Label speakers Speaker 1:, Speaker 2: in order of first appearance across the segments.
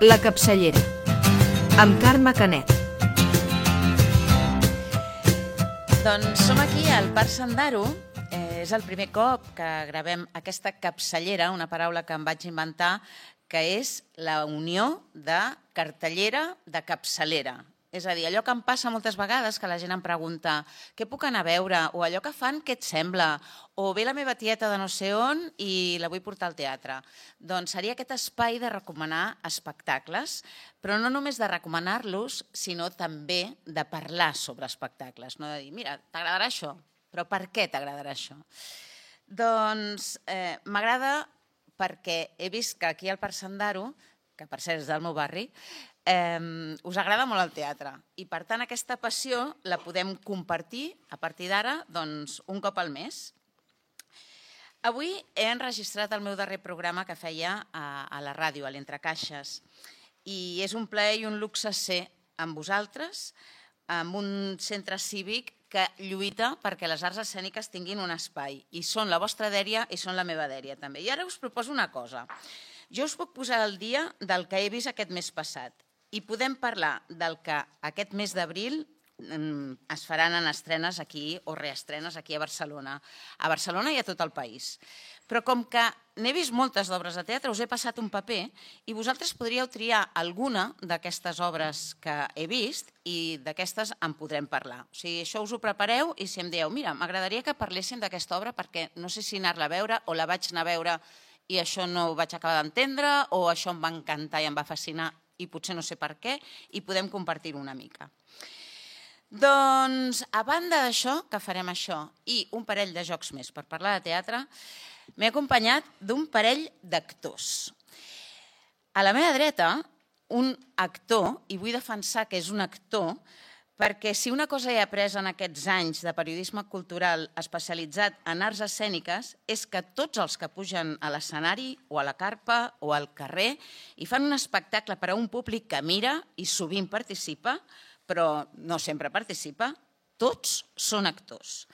Speaker 1: La capçallera, amb Carme Canet.
Speaker 2: Doncs som aquí al Parc Sandaro. És el primer cop que gravem aquesta capçallera, una paraula que em vaig inventar, que és la unió de cartellera de capçalera. És a dir, allò que em passa moltes vegades, que la gent em pregunta què puc anar a veure, o allò que fan, què et sembla, o ve la meva tieta de no sé on i la vull portar al teatre. Doncs seria aquest espai de recomanar espectacles, però no només de recomanar-los, sinó també de parlar sobre espectacles. No de dir, mira, t'agradarà això, però per què t'agradarà això? Doncs m'agrada perquè he vist que aquí al Parc Sandaro, que per cert és del meu barri, us agrada molt el teatre i per tant aquesta passió la podem compartir a partir d'ara un cop al mes. Avui he enregistrat el meu darrer programa que feia a la ràdio, a l'Entrecaixes, i és un plaer i un luxe ser amb vosaltres, amb un centre cívic que lluita perquè les arts escèniques tinguin un espai i són la vostra dèria i són la meva dèria també. I ara us proposo una cosa. Jo us puc posar al dia del que he vist aquest mes passat i podem parlar del que aquest mes d'abril es faran en estrenes aquí o reestrenes aquí a Barcelona. A Barcelona i a tot el país. Però com que n'he vist moltes d'obres de teatre, us he passat un paper i vosaltres podríeu triar alguna d'aquestes obres que he vist i d'aquestes en podrem parlar. O sigui, això us ho prepareu i si em dieu, mira, m'agradaria que parléssim d'aquesta obra perquè no sé si anar-la a veure o la vaig anar a veure i això no ho vaig acabar d'entendre o això em va encantar i em va fascinar i potser no sé per què, i podem compartir-ho una mica. Doncs, a banda d'això, que farem això, i un parell de jocs més per parlar de teatre, m'he acompanyat d'un parell d'actors. A la meva dreta, un actor, i vull defensar que és un actor, perquè si una cosa he après en aquests anys de periodisme cultural especialitzat en arts escèniques és que tots els que pugen a l'escenari o a la carpa o al carrer i fan un espectacle per a un públic que mira i sovint participa, però no sempre participa, tots són actors.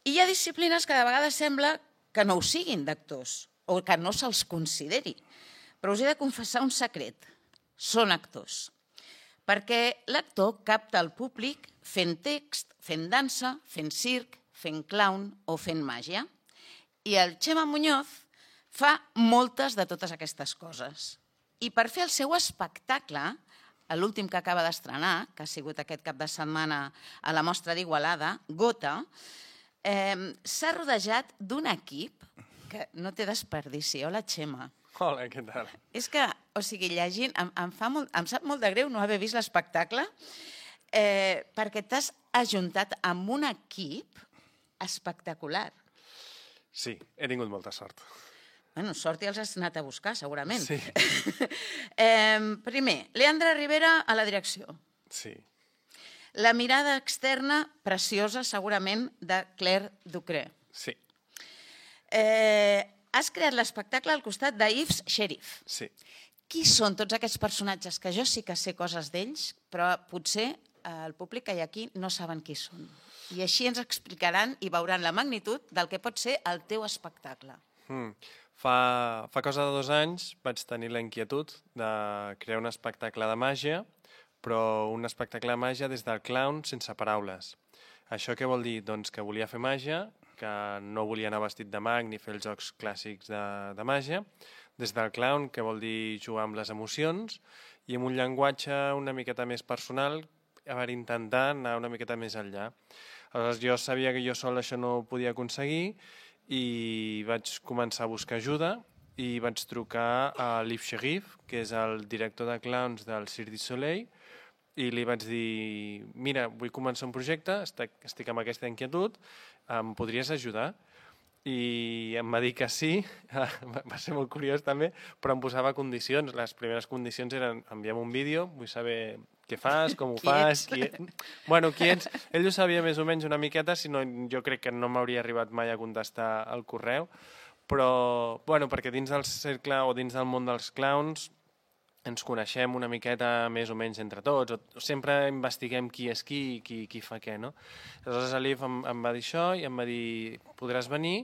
Speaker 2: I hi ha disciplines que de vegades sembla que no ho siguin d'actors o que no se'ls consideri. Però us he de confessar un secret. Són actors. Perquè l'actor capta el públic fent text, fent dansa, fent circ, fent clown o fent màgia. I el Chema Muñoz fa moltes de totes aquestes coses. I per fer el seu espectacle, l'últim que acaba d'estrenar, que ha sigut aquest cap de setmana a la Mostra d'Igualada, Gota, s'ha rodejat d'un equip que no té desperdici. Hola, Chema.
Speaker 3: Hola, què tal?
Speaker 2: És que, o sigui, llegint, em sap molt de greu no haver vist l'espectacle perquè t'has ajuntat amb un equip espectacular.
Speaker 3: Sí, he tingut molta sort.
Speaker 2: Bueno, sort ja els has anat a buscar, segurament.
Speaker 3: Sí.
Speaker 2: Primer, Leandra Rivera a la direcció.
Speaker 3: Sí.
Speaker 2: La mirada externa, preciosa, segurament, de Claire Ducré.
Speaker 3: Sí.
Speaker 2: Has creat l'espectacle al costat d'Yves Sheriff.
Speaker 3: Sí.
Speaker 2: Qui són tots aquests personatges que jo sí que sé coses d'ells, però potser el públic que hi ha aquí no saben qui són. I així ens explicaran i veuran la magnitud del que pot ser el teu espectacle.
Speaker 3: Fa cosa de 2 anys vaig tenir la inquietud de crear un espectacle de màgia, però un espectacle de màgia des del clown sense paraules. Això què vol dir? Doncs que volia fer màgia, que no volia anar vestit de mag ni fer els jocs clàssics de màgia, des del clown, que vol dir jugar amb les emocions, i amb un llenguatge una miqueta més personal, per intentar anar una miqueta més enllà. Aleshores, jo sabia que jo sol això no ho podia aconseguir i vaig començar a buscar ajuda i vaig trucar a Yves Sheriff, que és el director de clowns del Cirque du Soleil, i li vaig dir, mira, vull començar un projecte, estic amb aquesta inquietud, em podries ajudar? I em va dir que sí, va ser molt curiós també, però em posava condicions. Les primeres condicions eren envia'm un vídeo, vull saber què fas, com ho fas... Bueno, qui ets? Ell ho sabia més o menys una miqueta, si no jo crec que no m'hauria arribat mai a contestar el correu, però perquè dins del cercle o dins del món dels clowns ens coneixem una miqueta més o menys entre tots, o sempre investiguem qui és qui fa què, no? Aleshores l'Yves em va dir això i em va dir podràs venir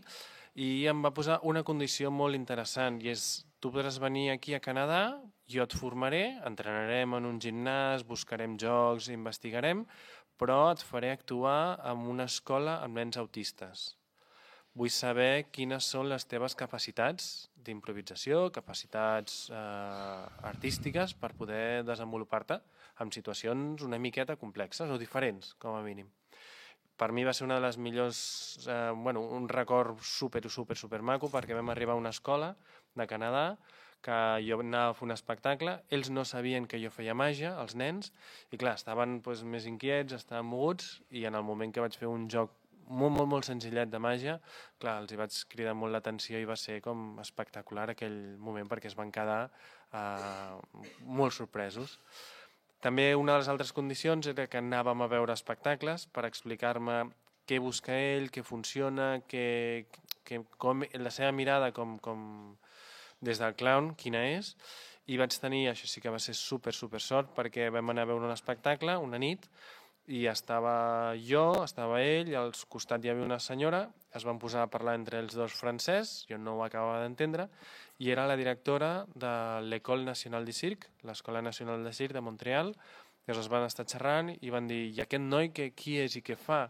Speaker 3: i em va posar una condició molt interessant i és tu podràs venir aquí a Canadà, jo et formaré, entrenarem en un gimnàs, buscarem jocs, investigarem, però et faré actuar en una escola amb nens autistes. Vull saber quines són les teves capacitats d'improvisació, capacitats artístiques per poder desenvolupar-te en situacions una miqueta complexes o diferents, com a mínim. Per mi va ser una de les millors, un record super maco, perquè vam arribar a una escola de Canadà que jo anava a fer un espectacle, ells no sabien que jo feia màgia, els nens, i clar, estaven més inquiets, estaven moguts, i en el moment que vaig fer un joc molt senzillet de màgia, clar, els hi vaig cridar molt l'atenció i va ser com espectacular aquell moment perquè es van quedar molt sorpresos. També una de les altres condicions era que anàvem a veure espectacles per explicar-me què busca ell, què funciona, com la seva mirada com des del clown, quina és, i vaig tenir, això sí que va ser super sort, perquè vam anar a veure un espectacle una nit i estava jo, estava ell, i al costat hi havia una senyora, es van posar a parlar entre els dos francès, jo no ho acabava d'entendre, i era la directora de l'École Nationale du Cirque, l'Escola Nacional de Circ de Montreal, i es van estar xerrant i van dir, i aquest noi qui és i què fa?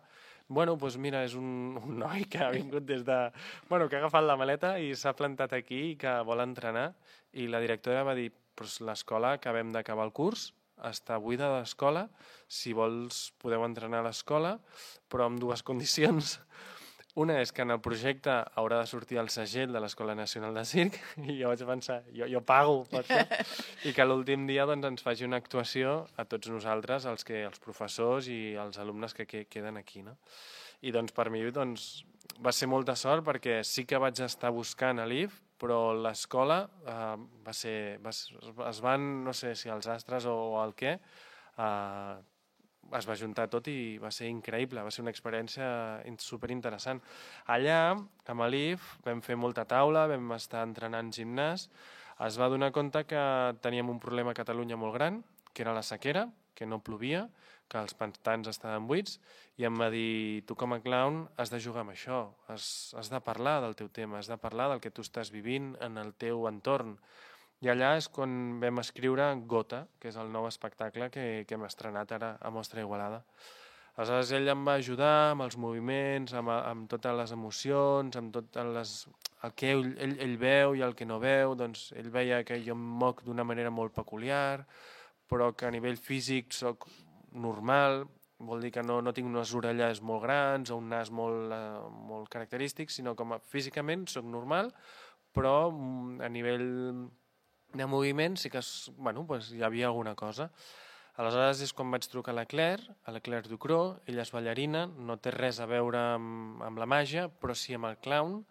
Speaker 3: Bueno, doncs mira, és un noi que ha vingut des de... Bueno, que ha agafat la maleta i s'ha plantat aquí i que vol entrenar, i la directora va dir, doncs l'escola, acabem d'acabar el curs, està buida de l'escola, si vols podeu entrenar a l'escola, però amb dues condicions. Una és que en el projecte haurà de sortir el segell de l'Escola Nacional de Circ, i jo vaig pensar, jo pago per això, i que l'últim dia ens faci una actuació a tots nosaltres, els professors i els alumnes que queden aquí. No? I per mi va ser molta sort perquè sí que vaig estar buscant a l'IF, però l'escola es van, no sé si els astres o el què, es va juntar tot i va ser increïble, va ser una experiència superinteressant. Allà, amb l'IF, vam fer molta taula, vam estar entrenant gimnàs, es va donar compte que teníem un problema a Catalunya molt gran, que era la sequera, que no plovia, que els pantans estaven buits, i em va dir, tu com a clown has de jugar amb això, has de parlar del teu tema, has de parlar del que tu estàs vivint en el teu entorn. I allà és quan vam escriure Gota, que és el nou espectacle que hem estrenat ara a Mostra Igualada. Aleshores ell em va ajudar amb els moviments, amb totes les emocions, amb tot el que ell veu i el que no veu. Doncs ell veia que jo em moc d'una manera molt peculiar, però que a nivell físic soc normal, vol dir que no tinc unes orelles molt grans o un nas molt característic, sinó que físicament soc normal, però a nivell de moviment sí que hi havia alguna cosa. Aleshores és quan vaig trucar a la Claire Ducrot, ella és ballarina, no té res a veure amb la màgia, però sí amb el clown,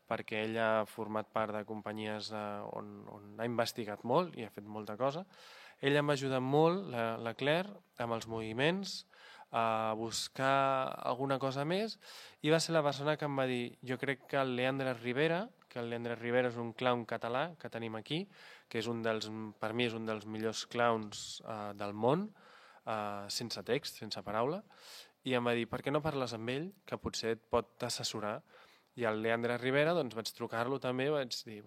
Speaker 3: perquè ella ha format part de companyies on ha investigat molt i ha fet molta cosa. Ella em va ajudar molt, la Claire, amb els moviments, a buscar alguna cosa més, i va ser la persona que em va dir, jo crec que el Leandre Rivera és un clown català que tenim aquí, que per mi és un dels millors clowns del món, sense text, sense paraula, i em va dir, per què no parles amb ell, que potser et pot assessorar? I al Leandre Rivera vaig trucar-lo també, vaig dir,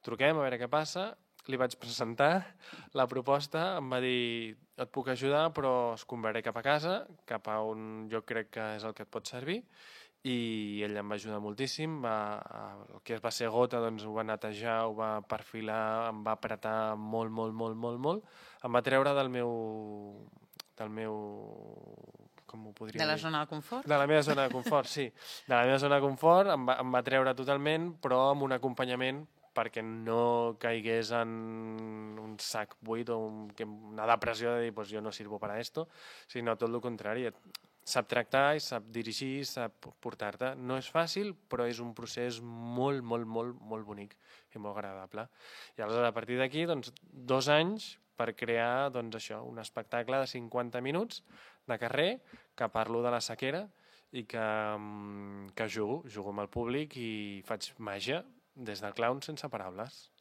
Speaker 3: truquem a veure què passa, li vaig presentar la proposta, em va dir, et puc ajudar, però es convertiré cap a casa, cap a on jo crec que és el que et pot servir, i ell em va ajudar moltíssim, el que va ser Gota ho va netejar, ho va perfilar, em va apretar molt, em va treure del meu com ho podria dir?
Speaker 2: De la zona de confort?
Speaker 3: De la meva zona de confort, sí. De la meva zona de confort em va treure totalment, però amb un acompanyament perquè no caigués en un sac buit o una depressió de dir jo no sirvo para esto, sinó tot el contrari. Sap tractar, sap dirigir, sap portar-te. No és fàcil, però és un procés molt bonic i molt agradable. I aleshores, a partir d'aquí, 2 anys per crear això, un espectacle de 50 minuts de carrer que parlo de la sequera i que jugo amb el públic i faig màgia des del clown sense paraules.